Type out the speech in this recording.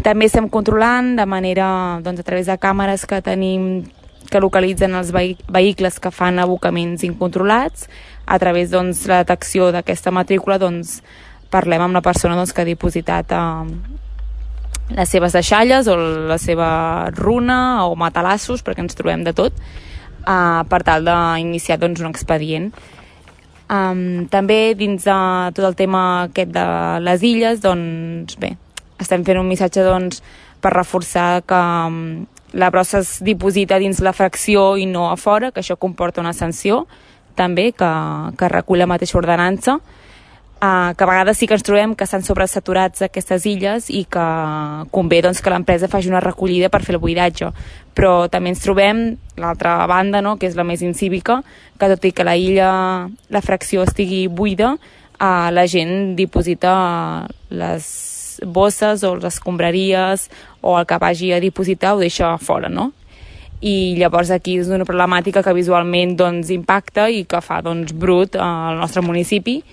També estem controlant de manera, doncs, a través de càmeres que tenim que localitzen els vehicles que fan abocaments incontrolats. A través de la detecció d'aquesta matrícula parlem amb la persona que ha dipositat les seves deixalles o la seva runa o matalassos, perquè ens trobem de tot, per tal d'iniciar un expedient. També dins de tot el tema aquest de les illes, estem fent un missatge per reforçar que la brossa es diposita dins la fracció i no a fora, que això comporta una sanció també que recull la mateixa ordenança, que a vegades sí que ens trobem que estan sobresaturats aquestes illes i que convé que l'empresa faci una recollida per fer el buidatge, però també ens trobem l'altra banda, que és la més incívica, que tot i que la fracció estigui buida, la gent diposita les bosses o les escombraries o el que vagi a dipositar ho deixa a fora, i llavors aquí és una problemàtica que visualment impacta i que fa brut al nostre municipi.